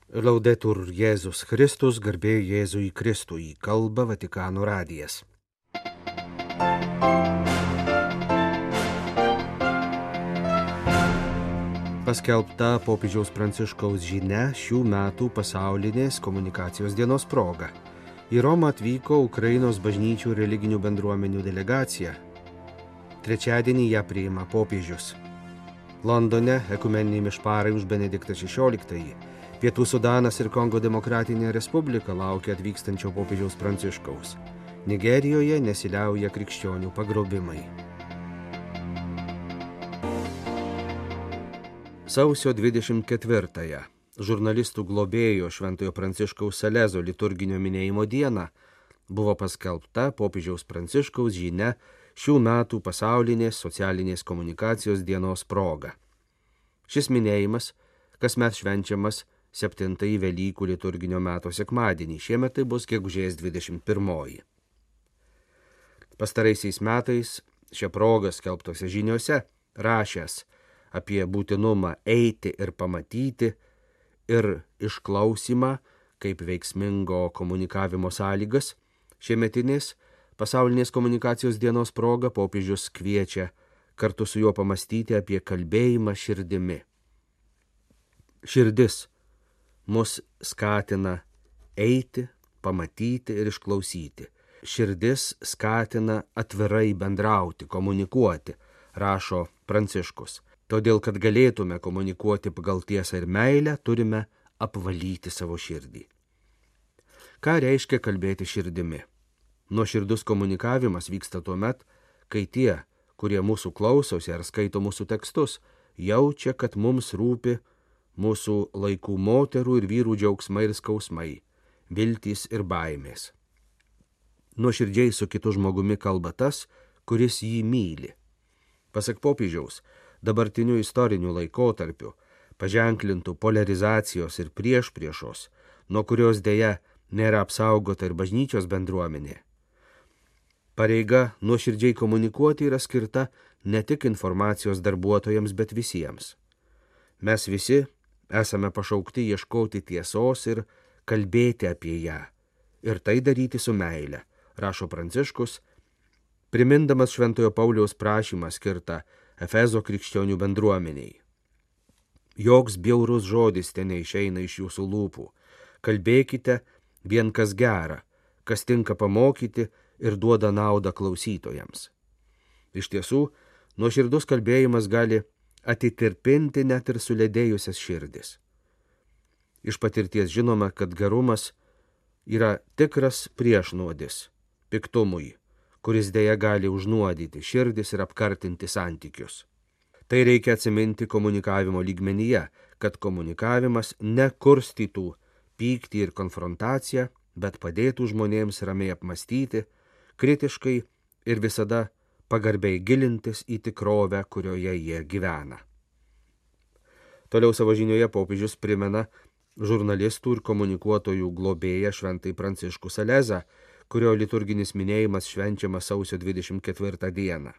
Laudetur Jėzus Kristus, garbė Jėzui Kristui, kalba Vatikano radijas. Paskelbta popiežiaus Pranciškaus žinia šių metų pasaulinės komunikacijos dienos proga. Į Romą atvyko Ukrainos bažnyčių religinių bendruomenių delegacija. Trečiadienį ją priima popiežius. Londone ekumeniniai mišparai už Benediktą XVI. Pietų Sudanas ir Kongo Demokratinė Respublika laukia atvykstančio popiežiaus Pranciškaus. Nigerijoje nesiliauja krikščionių pagrobimai. Sausio 24-ąją žurnalistų globėjo Šventojo Pranciškaus Salezo liturginio minėjimo dieną buvo paskelbta popiežiaus Pranciškaus žinia šių metų pasaulinės socialinės komunikacijos dienos proga. Šis minėjimas kasmet švenčiamas 7-ąjį Velykų liturginio meto sekmadienį, šiemet tai bus gegužės 21-oji. Pastaraisiais metais šią progą skelbtose žiniose rašęs apie būtinumą eiti ir pamatyti ir išklausimą kaip veiksmingo komunikavimo sąlygas, šiemetinės pasaulinės komunikacijos dienos proga popiežius kviečia kartu su juo pamastyti apie kalbėjimą širdimi. Širdis mus skatina eiti, pamatyti ir išklausyti. Širdis skatina atvirai bendrauti, komunikuoti, rašo Pranciškus. Todėl, kad galėtume komunikuoti pagal tiesą ir meilę, turime apvalyti savo širdį. Ką reiškia kalbėti širdimi? Nuoširdus komunikavimas vyksta tuomet, kai tie, kurie mūsų klausosi ar skaito mūsų tekstus, jaučia, kad mums rūpi mūsų laikų moterų ir vyrų džiaugsmai ir skausmai, viltys ir baimės. Nuoširdžiai su kitu žmogumi kalba tas, kuris jį myli. Pasak popiežiaus, dabartiniu istoriniu laikotarpiu, paženklintų polarizacijos ir priešpriešos, nuo kurios dėja nėra apsaugota ir bažnyčios bendruomenė. Pareiga nuoširdžiai komunikuoti yra skirta ne tik informacijos darbuotojams, bet visiems. Mes visi esame pašaukti ieškoti tiesos ir kalbėti apie ją, ir tai daryti su meile, rašo Pranciškus, primindamas Šventojo Pauliaus prašymą skirtą Efezo krikščionių bendruomeniai. Joks bjaurus žodis ten neišeina iš jūsų lūpų, kalbėkite vien kas gera, kas tinka pamokyti ir duoda naudą klausytojams. Iš tiesų, nuoširdus kalbėjimas gali atitirpinti net ir suledėjusias širdis. Iš patirties žinoma, kad gerumas yra tikras priešnuodis piktumui, kuris dėja gali užnuodyti širdis ir apkartinti santykius. Tai reikia atsiminti komunikavimo lygmenyje, kad komunikavimas nekurstytų pyktį ir konfrontaciją, bet padėtų žmonėms ramiai apmastyti, kritiškai ir visada pagarbiai gilintis į tikrovę, kurioje jie gyvena. Toliau savo žinioje popiežius primena žurnalistų ir komunikuotojų globėją Šventąjį Pranciškų Salezą, kurio liturginis minėjimas švenčiamas sausio 24 dieną.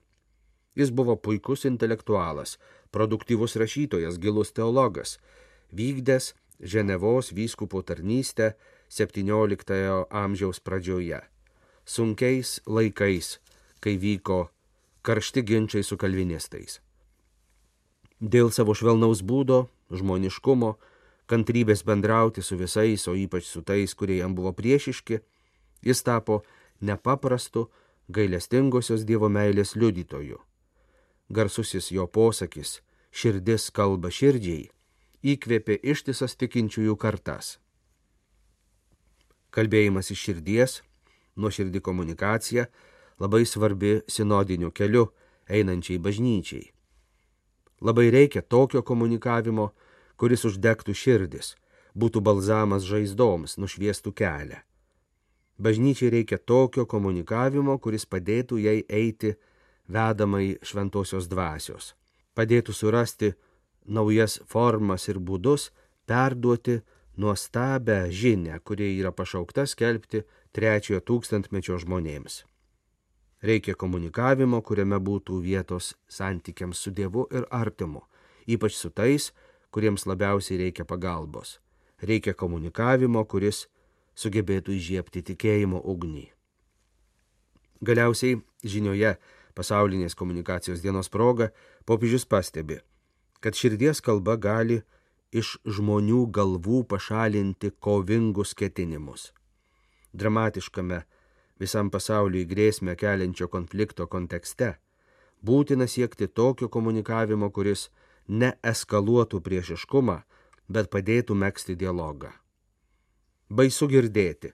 Jis buvo puikus intelektualas, produktyvus rašytojas, gilus teologas, vykdęs Ženevos vyskupo tarnystę 17 amžiaus pradžioje, sunkiais laikais, kai vyko karšti ginčiai su kalvinistais. Dėl savo švelnaus būdo, žmoniškumo, kantrybės bendrauti su visais, o ypač su tais, kurie jam buvo priešiški, jis tapo nepaprastu gailestingosios Dievo meilės liudytoju. Garsusis jo posakis "širdis kalba širdžiai" įkvėpė ištisas tikinčiųjų kartas. Kalbėjimas iš širdies, nuoširdi komunikacija labai svarbi sinodiniu keliu einančiai bažnyčiai. Labai reikia tokio komunikavimo, kuris uždegtų širdis, būtų balzamas žaizdoms, nušviestų kelią. Bažnyčiai reikia tokio komunikavimo, kuris padėtų jai eiti vedamai šventosios dvasios, padėtų surasti naujas formas ir būdus, perduoti nuostabią žinią, kuri yra pašaukta skelbti 3 tūkstantmečio žmonėms. Reikia komunikavimo, kuriame būtų vietos santykiams su Dievu ir artimu, ypač su tais, kuriems labiausiai reikia pagalbos. reikia komunikavimo, kuris sugebėtų įžiebti tikėjimo ugnį. Galiausiai žinioje pasaulinės komunikacijos dienos proga popiežius pastebi, kad širdies kalba gali iš žmonių galvų pašalinti kovingus ketinimus. Dramatiškame visam pasauliui grėsmę keliančio konflikto kontekste būtina siekti tokio komunikavimo, kuris neeskaluotų priešiškumą, bet padėtų megzti dialogą. Baisu girdėti,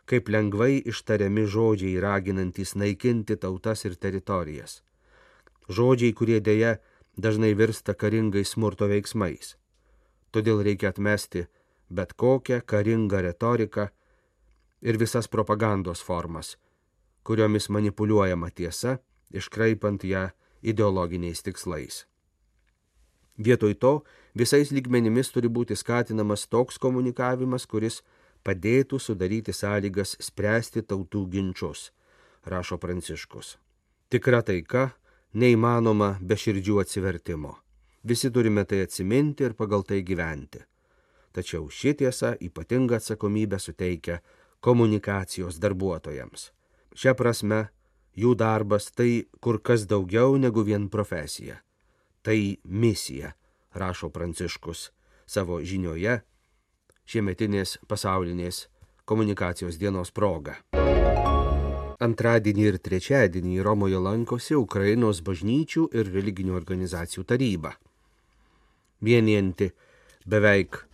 kaip lengvai ištariami žodžiai raginantys naikinti tautas ir teritorijas. Žodžiai, kurie dėja dažnai virsta karingais smurto veiksmais. Todėl reikia atmesti bet kokią karingą retoriką ir visas propagandos formas, kuriomis manipuliuojama tiesa, iškraipant ją ideologiniais tikslais. Vietoj to visais lygmenimis turi būti skatinamas toks komunikavimas, kuris padėtų sudaryti sąlygas spręsti tautų ginčus, rašo Pranciškus. Tikra taika neįmanoma be širdžių atsivertimo. Visi turime tai atsiminti ir pagal tai gyventi. Tačiau ši tiesa ypatingą atsakomybę suteikia komunikacijos darbuotojams. Šia prasme, jų darbas tai kur kas daugiau negu vien profesija. Tai misija, rašo Pranciškus savo žinioje šiemetinės pasaulinės komunikacijos dienos proga. Antradienį ir trečiadienį Romoje lankosi Ukrainos bažnyčių ir religinių organizacijų taryba, vienijanti beveik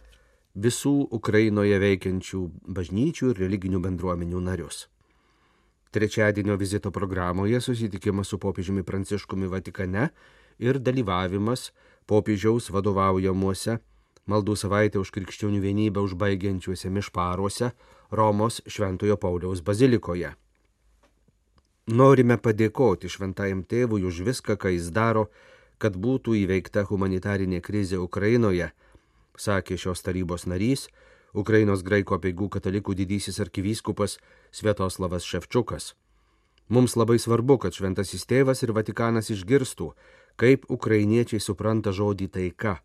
visų Ukrainoje veikiančių bažnyčių ir religinių bendruomenių narius. Trečiadienio vizito programoje susitikimas su popiežiumi Pranciškumi Vatikane ir dalyvavimas popiežiaus vadovaujamuose maldų savaitę už krikščionių vienybę užbaigiančiuose mišparuose Romos Šventojo Pauliaus bazilikoje. Norime padėkoti Šventajam Tėvui už viską, ką jis daro, kad būtų įveikta humanitarinė krizė Ukrainoje, sakė šios tarybos narys, Ukrainos graikų apeigų katalikų didysis arkivyskupas Sviatoslavas Ševčukas. Mums labai svarbu, kad Šventasis Tėvas ir Vatikanas išgirstų, kaip ukrainiečiai supranta žodį taika,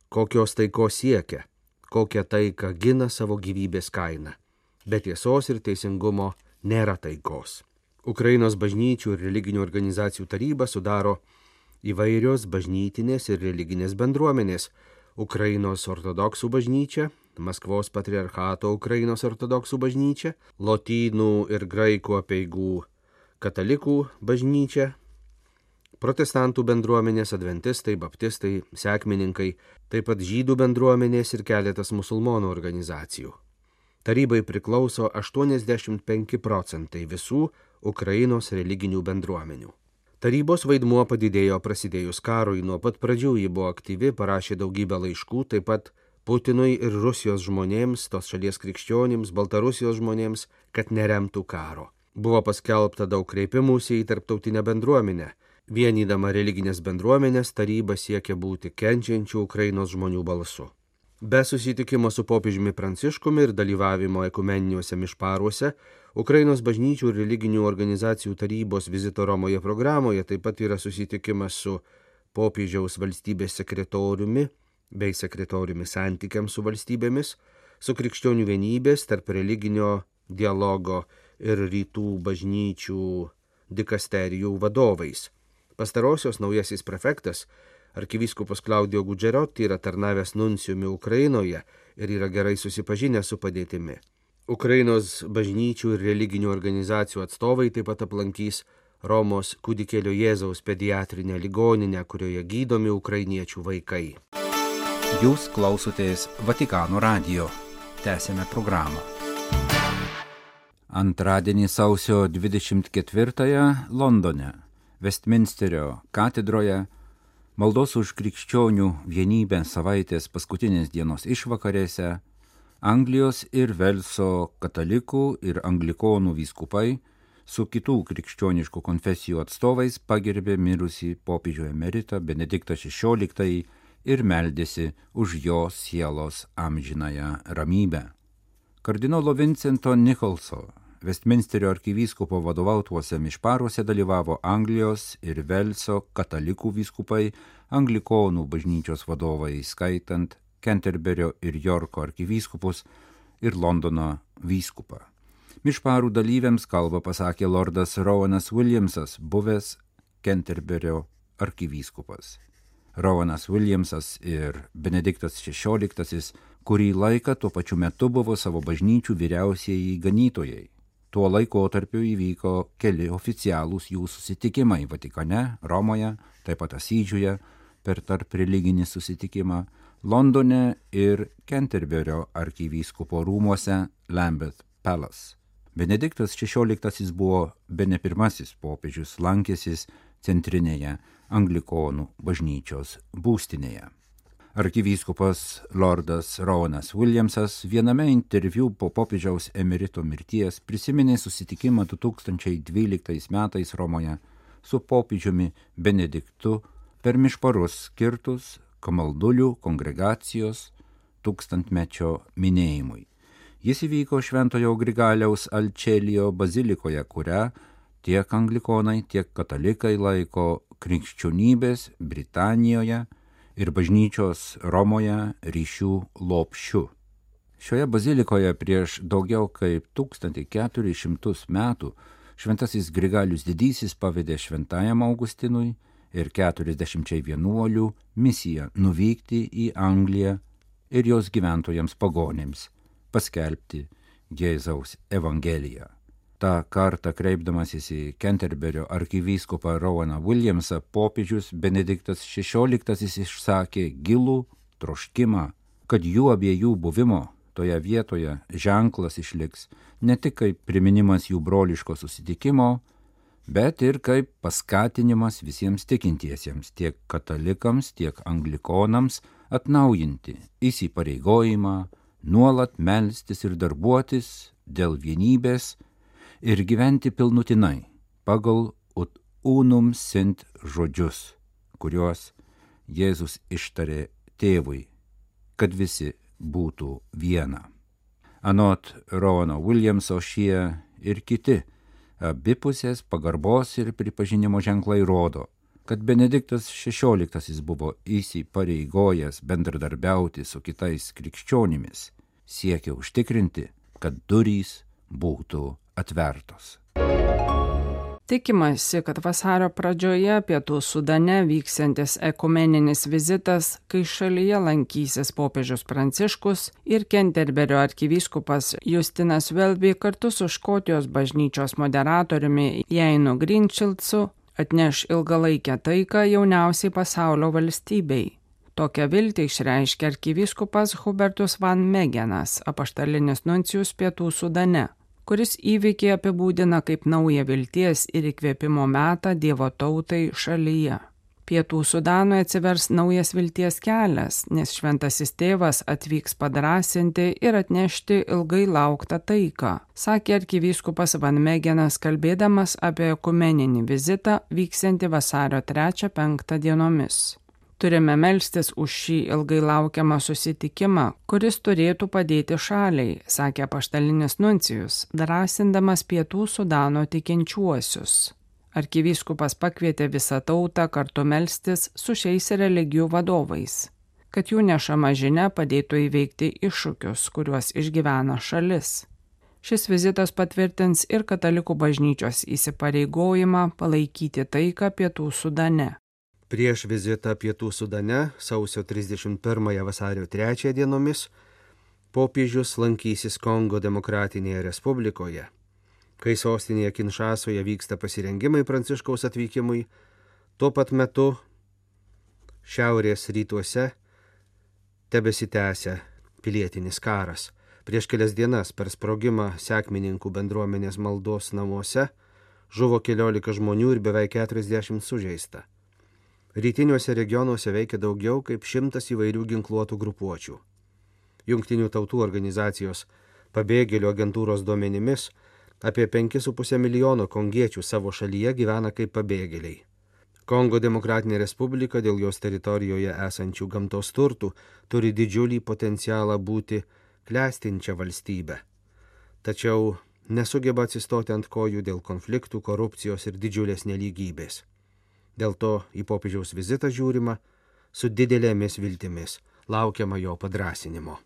kokios taikos siekia, kokią taiką gina savo gyvybės kainą. Be tiesos ir teisingumo nėra taikos. Ukrainos bažnyčių ir religinių organizacijų tarybą sudaro įvairios bažnytinės ir religinės bendruomenės: Ukrainos ortodoksų bažnyčia, Maskvos patriarchato Ukrainos ortodoksų bažnyčia, lotynų ir graikų apeigų katalikų bažnyčia, protestantų bendruomenės, adventistai, baptistai, sekmininkai, taip pat žydų bendruomenės ir keletas musulmonų organizacijų. Tarybai priklauso 85% visų Ukrainos religinių bendruomenių. Tarybos vaidmuo padidėjo prasidėjus karui, nuo pat pradžių ji buvo aktyvi, parašė daugybę laiškų, taip pat Putinui ir Rusijos žmonėms, tos šalies krikščionims, Baltarusijos žmonėms, kad neremtų karo. Buvo paskelbta daug kreipimųsi į tarptautinę bendruomenę. Vienydama religinės bendruomenės, taryba siekia būti kenčiančių Ukrainos žmonių balsu. Be susitikimo su popiežiumi Pranciškumi ir dalyvavimo ekumeniniuose mišparuose, Ukrainos bažnyčių ir religinių organizacijų tarybos vizito Romoje programoje taip pat yra susitikimas su popiežiaus valstybės sekretoriumi bei sekretoriumi santykiams su valstybėmis, su krikščionių vienybės tarp religinio dialogo ir rytų bažnyčių dikasterijų vadovais. Pastarosios naujasis prefektas, arkivyskupas Claudio Gugerotti, yra tarnavęs nuncijumi Ukrainoje ir yra gerai susipažinęs su padėtimi. Ukrainos bažnyčių ir religinių organizacijų atstovai taip pat aplankys Romos Kūdikėlio Jėzaus pediatrinę ligoninę, kurioje gydomi ukrainiečių vaikai. Jūs klausotės Vatikano radijo. Tęsėme programą. Antradienį sausio 24 Londone, Westminsterio katedroje, maldos už krikščionių vienybę savaitės paskutinės dienos išvakarėse, Anglijos ir Velso katalikų ir anglikonų vyskupai su kitų krikščioniškų konfesijų atstovais pagerbė mirusį popiežių emeritą Benediktą XVI ir meldėsi už jo sielos amžinąją ramybę. Kardinolo Vincento Nicholso, Westminsterio arkivyskupo vadovautuose mišparuose dalyvavo Anglijos ir Velso katalikų vyskupai, anglikonų bažnyčios vadovai, skaitant Kenterberio ir Jorko arkivyskupus ir Londono vyskupą. Mišparų dalyviams kalbą pasakė lordas Rowanas Williamsas, buvęs Kenterberio arkivyskupas. Rowanas Williamsas ir Benediktas XVI kurį laiką tuo pačiu metu buvo savo bažnyčių vyriausieji ganytojai. Tuo laikotarpiu įvyko keli oficialūs jų susitikimai Vatikane, Romoje, taip pat Asyžiuje per tarp religinį susitikimą, Londone ir Kenterberio arkivyskupo rūmuose Lambeth Palace. Benediktas XVI buvo bene pirmasis popiežius lankęsis centrinėje anglikonų bažnyčios būstinėje. Arkivyskupas lordas Rowanas Williamsas viename interviu po popiežiaus emerito mirties prisiminė susitikimą 2012 metais Romoje su popiežiumi Benediktu per mišparus skirtus kamaldulių kongregacijos 1000-mečio minėjimui. Jis įvyko Šventojo Grigaliaus Alčelijo bazilikoje, kurią tiek anglikonai, tiek katalikai laiko krikščionybės Britanijoje ir bažnyčios Romoje ryšių lopšiu. Šioje bazilikoje prieš daugiau kaip 1400 metų šventasis Grigalius Didysis pavedė šventajam Augustinui ir 40 vienuolių misiją nuvykti į Angliją ir jos gyventojams pagonėms paskelbti Jėzaus evangeliją. Ta kartą kreipdamasis į Kenterberio arkivyskupą Rowaną Williamsą, popiežius Benediktas XVI išsakė gilų troškimą, kad jų abiejų buvimo toje vietoje ženklas išliks ne tik kaip priminimas jų broliško susitikimo, bet ir kaip paskatinimas visiems tikintiesiems, tiek katalikams, tiek anglikonams atnaujinti įsipareigojimą, nuolat melstis ir darbuotis dėl vienybės ir gyventi pilnutinai pagal ut unum sint žodžius, kuriuos Jėzus ištarė tėvui, kad visi būtų viena. Anot Rowano Williamso šie ir kiti abipusės pagarbos ir pripažinimo ženklai rodo, kad Benediktas XVI buvo įsipareigojęs bendradarbiauti su kitais krikščionimis, siekia užtikrinti, kad durys būtų atvertos. Tikimasi, kad vasario pradžioje Pietų Sudane vyksiantis ekumeninis vizitas, kai šalyje lankysis popiežius Pranciškus ir Kenterberio arkivyskupas Justinas Welby kartu su Škotijos bažnyčios moderatoriumi Jainu Greenshildsu atneš ilgalaikę taiką jauniausiai pasaulio valstybei. Tokią viltį išreiškė arkivyskupas Hubertus Van Megenas, apaštalinis nuncijus Pietų Sudane, kuris įvykį apibūdina kaip naują vilties ir įkvėpimo metą Dievo tautai šalyje. Pietų Sudanui atsivers naujas vilties kelias, nes šventasis tėvas atvyks padrąsinti ir atnešti ilgai lauktą taiką, sakė arkivyskupas Van Megenas, kalbėdamas apie ekumeninį vizitą vyksiantį vasario 3-5 dienomis. Turime melstis už šį ilgai laukiamą susitikimą, kuris turėtų padėti šaliai, sakė apaštalinis nuncijus, drąsindamas Pietų Sudano tikinčiuosius. Arkivyskupas pakvietė visą tautą kartu melstis su šiais religijų vadovais, kad jų nešama žinia padėtų įveikti iššūkius, kuriuos išgyvena šalis. Šis vizitas patvirtins ir katalikų bažnyčios įsipareigojimą palaikyti taiką Pietų Sudane. Prieš vizitą Pietų Sudane sausio 31 vasario 3 dienomis popiežius lankysis Kongo Demokratinėje Respublikoje. Kai sostinėje Kinšasoje vyksta pasirengimai Pranciškaus atvykimui, tuo pat metu šiaurės rytuose tebesitęsia pilietinis karas. Prieš kelias dienas per sprogimą sekmininkų bendruomenės maldos namuose žuvo 14 žmonių ir beveik 40 sužeista. Rytiniuose regionuose veikia daugiau kaip 100 įvairių ginkluotų grupuočių. Jungtinių tautų organizacijos pabėgėlių agentūros duomenimis apie 5,5 milijono kongiečių savo šalyje gyvena kaip pabėgėliai. Kongo Demokratinė Respublika dėl jos teritorijoje esančių gamtos turtų turi didžiulį potencialą būti klestinčia valstybe. Tačiau nesugeba atsistoti ant kojų dėl konfliktų, korupcijos ir didžiulės nelygybės. Dėl to į popiežiaus vizitą žiūrima su didelėmis viltimis. laukiama jo padrasinimo.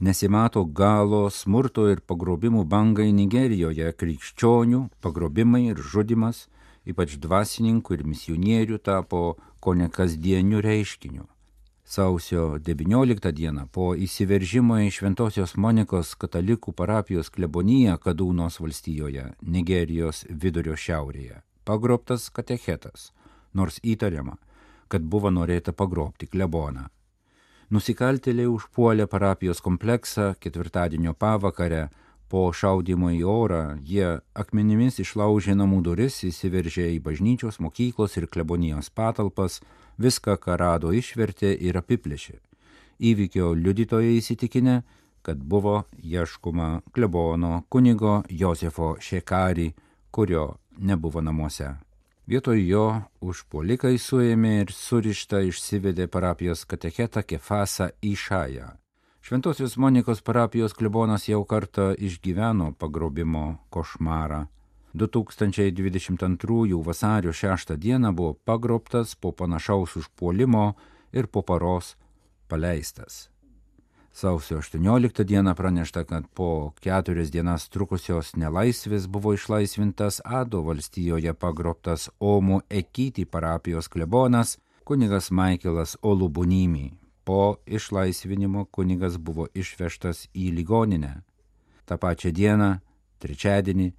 Nesimato galo smurto ir pagrobimų bangai Nigerijoje, krikščionių pagrobimai ir žudimas, ypač dvasininkų ir misionierių tapo kone kasdieniu reiškiniu. Sausio 19 dieną po įsiveržimo į Šventosios Monikos katalikų parapijos kleboniją Kadūnos valstijoje, Nigerijos vidurio šiaurėje, pagrobtas katechetas, nors įtariama, kad buvo norėta pagrobti kleboną. Nusikaltėliai užpuolė parapijos kompleksą ketvirtadienio pavakarę. Po šaudymo į orą jie akmenimis išlaužė namų duris, įsiveržė į bažnyčios, mokyklos ir klebonijos patalpas, viską, ką rado, išvertė ir apiplėšė. Įvykio liudytojai įsitikinę, kad buvo ieškoma klebono kunigo Josefo Šekari, kurio nebuvo namuose. Vietoj jo užpuolikai suėmė ir surištą išsivedė parapijos katechetą Kefasą Išają. Šventosios Monikos parapijos klebonas jau kartą išgyveno pagrobimo košmarą. 2022 vasario 6 dieną buvo pagrobtas po panašaus užpuolimo ir po paros paleistas. Sausio 18 dieną pranešta, kad po 4 dienas trukusios nelaisvės buvo išlaisvintas Ado valstijoje pagrobtas Omo Ekiti parapijos klebonas kunigas Maikelas Olubunimi. Po išlaisvinimo kunigas buvo išvežtas į ligoninę. Ta pačia diena, trečiadienį,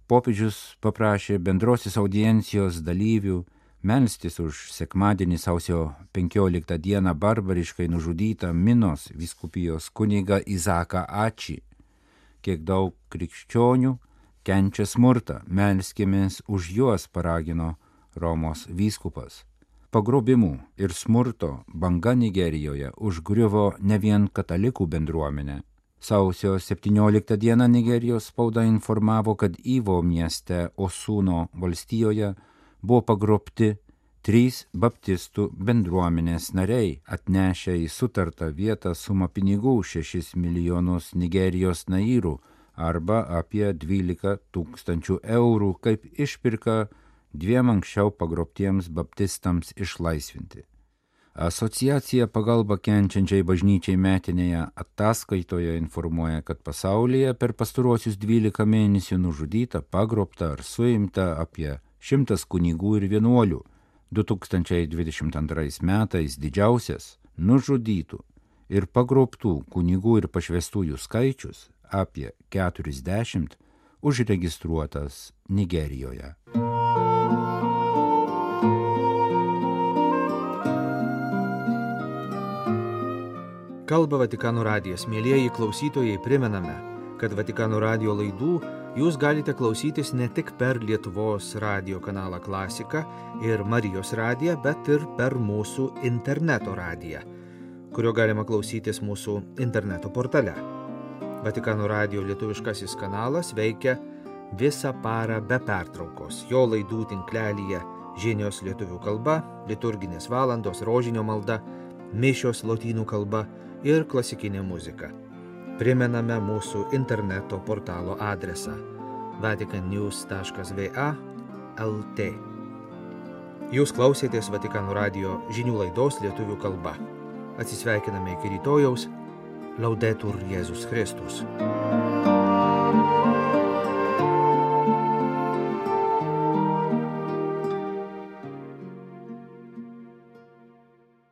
popiežius paprašė bendrosios audiencijos dalyvių melstis už sekmadienį sausio 15 dieną barbariškai nužudytą Minos vyskupijos kunigą Izaką Ači. Kiek daug krikščionių kenčia smurtą, melskimės už juos, paragino Romos vyskupas. Pagrobimų ir smurto banga Nigerijoje užgriuvo ne vien katalikų bendruomenę. Sausio 17 dieną Nigerijos spauda informavo, kad Ivo mieste Osuno valstijoje buvo pagrobti 3 baptistų bendruomenės nariai, atnešę į sutartą vietą sumą pinigų 6 milijonus Nigerijos nairų arba apie 12 000 eurų kaip išpirka 2 anksčiau pagrobtiems baptistams išlaisvinti. Asociacija pagalba kenčiančiai bažnyčiai metinėje ataskaitoje informuoja, kad pasaulyje per pastaruosius 12 mėnesių nužudyta, pagrobta ar suimta apie 100 kunigų ir vienuolių. 2022 metais didžiausias nužudytų ir pagrobtų kunigų ir pašvestųjų skaičius apie 40 užregistruotas Nigerijoje. Kalba Vatikano radijas. Mielieji klausytojai, primename, kad Vatikano radijo laidų jūs galite klausytis ne tik per Lietuvos radijo kanalą Klasika ir Marijos radiją, bet ir per mūsų interneto radiją, kurio galima klausytis mūsų interneto portale. Vatikano radijo lietuviškasis kanalas veikia visą parą be pertraukos. Jo laidų tinklelyje žinios lietuvių kalba, liturginės valandos, rožinio malda, mišios lotynų kalba ir klasikinė muzika. Primename mūsų interneto portalo adresą vaticannews.va/lt. Jūs klausėtės Vatikano radijo žinių laidos lietuvių kalba. Atsisveikiname iki rytojaus. Laudetur Jėzus Kristus.